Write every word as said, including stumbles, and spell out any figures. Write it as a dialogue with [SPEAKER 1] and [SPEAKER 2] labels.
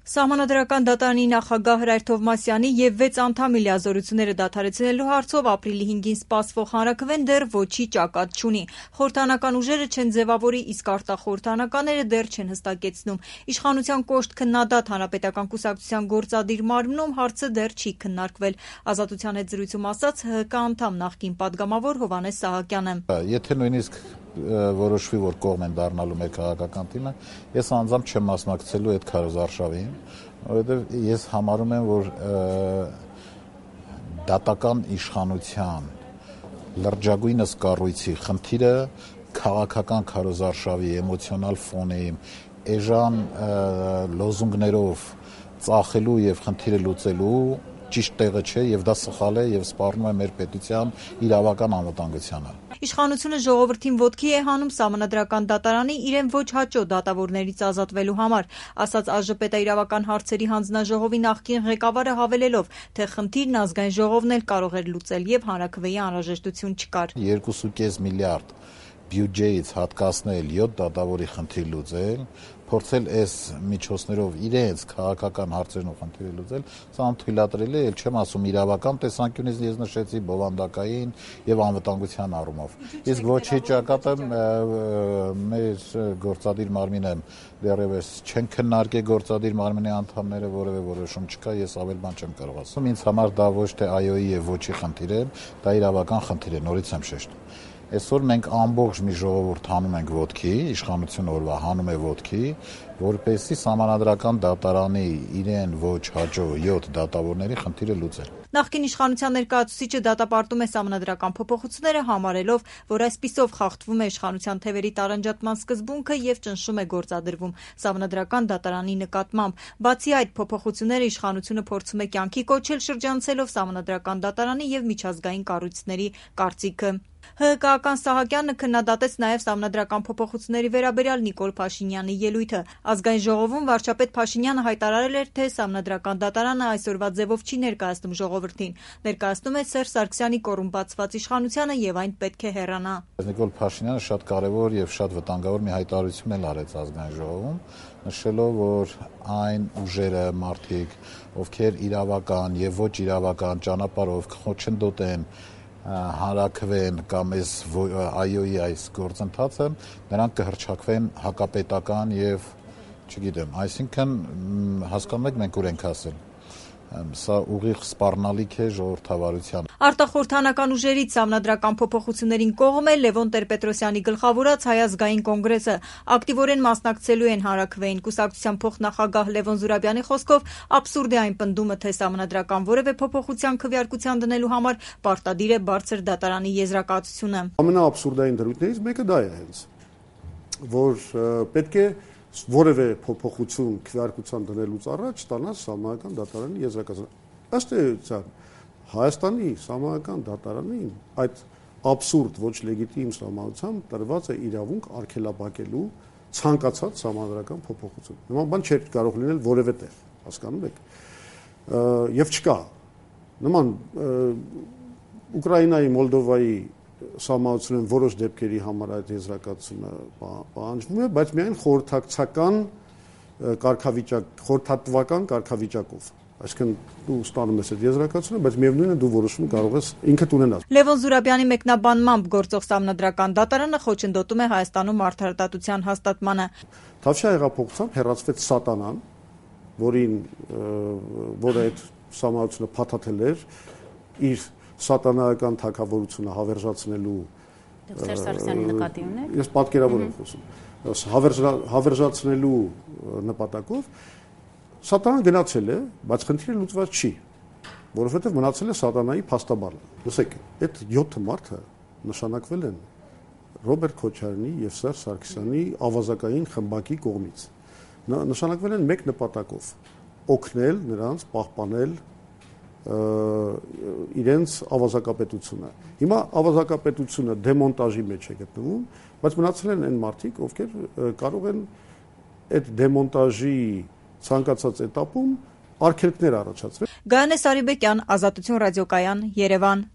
[SPEAKER 1] Սահմանադրական դատարանի նախագահ Հրայր Թովմասյանի և վեց անդամի լիազորությունները դադարեցնելու հարցով ապրիլի հինգին սպասվող հանրաքվեն դեռ ոչի ճակատ չունի։ Խորհրդարանական ուժերը չեն ձևավորի, իսկ արտախորհրդարանականները դեռ չեն հստակեցնում։ Իշխանության կոշտ քննադատ Հանրապետական կուսակցության գործադիր մարմնում հարցը դեռ չի քննարկվել։ Ազատության հետ զրույցում ասաց ՀՀԿ անդամ նախկին падգամավոր Հովհաննես Սահակյանը։
[SPEAKER 2] Եթե նույնիսկ որոշվի, որ կողմ են դառնալու մեր քաղաքական թիմը, ես անձամբ չեմ մասնակցելու այդ քարոզարշավին, որովհետև ես համարում եմ, որ դատական իշխանության լրջագույնս կառույցի խնդիրը քաղաքական քարոզարշավի էմոցիոնալ ֆոնի էժան լոզունգներով ծախելու եւ խնդիրը լուծելու ճիշտ տեղը չէ եւ դա սխալ է եւ սպառնում է մեր պետության իրավական անվտանգությանը։
[SPEAKER 1] Իշխանությունը ժողովրդին ոտքի է հանում Սահմանադրական դատարանի իրեն ոչ հաճո դատավորներից ազատվելու համար, ասաց ԱԺՊՏ-իրավական հարցերի հանձնաժողովի նախկին ղեկավարը հավելելով, թե խնդիրն ազգային ժողովն էլ կարող էր լուծել եւ հանրաքվեի անհրաժեշտություն չկար։
[SPEAKER 2] երկու կես միլիարդ բյուջեից հատկացնել յոթ դատավորի խնդիր լուծել, փորձել այս միջոցներով իրենց քաղաքական հարցերն ու խնդիրը լուծել, սա անթույլատրելի է, չեմ ասում իրավական տեսանկյունից ես նշեցի, բովանդակային եւ անվտանգության առումով։ Իսկ ոչի ճակատը մեր գործադիր մարմինը դեռևս չեն քննարկել գործադիր մարմինի անդամները, որևէ որոշում չկա, ես ավել բան չեմ կարող ասել։ Ինձ համար դա ոչ թե այոյի եւ ոչի խնդիր է, դա իրավական խնդիր է, նորից եմ շեշտում։ Այսօր մենք ամբողջ մի ժողովուրդ հանում ենք ոտքի, իշխանությունը օրվա հանում է ոտքի, որպեսզի Սահմանադրական դատարանի իրեն ոչ հաջող յոթ դատավորների խնդիրը լուծել։
[SPEAKER 1] Նախկին իշխանության ներկայացուցիչը դատապարտում է Սահմանադրական փոփոխությունները, համարելով, որ այսպիսով խախտվում է իշխանության թևերի տարանջատման սկզբունքը եւ ճնշում է գործադրվում Սահմանադրական դատարանի նկատմամբ։ Բացի այդ, փոփոխությունները իշխանությունը փորձում է կյանքի կոչել շրջանցելով Սահմանադրական դատարանի եւ միջազգային կառույցների կարծիքը։ ՀՀԿ-ական Սահակյանը քննադատեց նաև Սահմանադրական փոփոխությունների վերաբերյալ Նիկոլ Փաշինյանի ելույթը։ Ազգային ժողովում վարչապետ Փաշինյանը հայտարարել էր, թե Սահմանադրական դատարանը այսօրվա ձևով չի ներկայացնում ժողովրդին, ներկայացնում է Սերժ Սարգսյանի կոռումպացված իշխանությանը եւ այն պետք է հեռանա։
[SPEAKER 2] Նիկոլ Փաշինյանը շատ կարևոր եւ շատ վտանգավոր մի հայտարարություն էլ արեց Ազգային ժողովում, նշելով, որ այն ուժերը, մարդիկ, ովքեր իրավական եւ ոչ իրավական ճանապարհով խոչընդոտ են հանրաքվեն կամ այս այոյի այս գործընթացը, նրանք կհռչակվեն հակապետական եւ չգիտեմ, այսինքն հասկանում եք մենք ուր ենք հասել։ Սա ուղիղ սպառնալիք է ժողովրդավարության։
[SPEAKER 1] Արտախորհրդարանական ուժերից Սահմանադրական փոփոխություններին կողմ է Լևոն Տեր-Պետրոսյանի գլխավորած Հայ ազգային կոնգրեսը։ Ակտիվորեն մասնակցելու են հանրաքվեին։ Կուսակցության փոխնախագահ Լևոն Զուրաբյանի խոսքով աբսուրդ է այն պնդումը, թե Սահմանադրական որևէ փոփոխության քվեարկության դնելու համար պարտադիր է բարձր դատարանի եզրակացությունը։
[SPEAKER 3] Ամենաաբսուրդային դրույթներից մեկը դա է հենց, որ պետք է որևէ փոփոխություն քվեարկության դնելուց առաջ ստանալ Սահմանադրական դատարանի եզրակացությունը։ Ըստ էության Հայաստանի Սահմանադրական դատարանին այդ աբսուրդ ոչ լեգիտիմ սահմանությամբ տրված է իրավունք արգելափակելու ցանկացած սահմանադրական փոփոխություն։ Նման բան չէր կարող լինել որևէ տեղ, հասկանում եք։ Եվ չկա։ Նման Ուկրաինայի, Մոլդովայի սահմանությունն որոշ դեպքերի համար այդ եզրակացությունը պահանջվում է, բայց միայն խորհրդակցական կարգավիճակ, խորհրդատվական կարգավիճակով։ Այսինքն դու ստանում ես այդ եզրակացությունը, բայց միևնույնն է դու որոշում կարող ես ինքդ ունենալ։
[SPEAKER 1] Լևոն Զուրաբյանի մեկնաբանմամբ գործող Սահմանադրական դատարանը խոչընդոտում է Հայաստանում արդարադատության հաստատմանը։
[SPEAKER 3] Թավշյա հեղափոխությամբ հեռացվեց սատանան, որին որը այդ սահմանությունը փաթաթել էր իր սատանայական թագավորությունը հավերժացնելու
[SPEAKER 4] Սերժ Սարգսյանի նկատի ունեք։
[SPEAKER 3] Ես պատկերավոր եմ խոսում։ Հավերժացնելու նպատակով սատանան գնացել է, բայց խնդիրը լուծված չի, որովհետև մնացել է սատանայի փաստաբանը։ Լսեք, այդ յոթ մարդը նշանակվել են Ռոբերտ Քոչարյանի եւ Սերժ Սարգսյանի ավազակային խմբակի կողմից։ Նշանակվել են մեկ նպատակով՝ օգնել նրանց պահպանել իրենց ավազակապետությունը։ Հիմա ավազակապետությունը դեմոնտաժի մեջ է գտնվում, բայց մնացել են այն մարդիկ, ովքեր կարող են այդ դեմոնտաժի ցանկացած этаպում արգելքներ առաջացրել։
[SPEAKER 1] Գայանե Սարիբեկյան, Ազատություն ռադիոկայան, Երևան։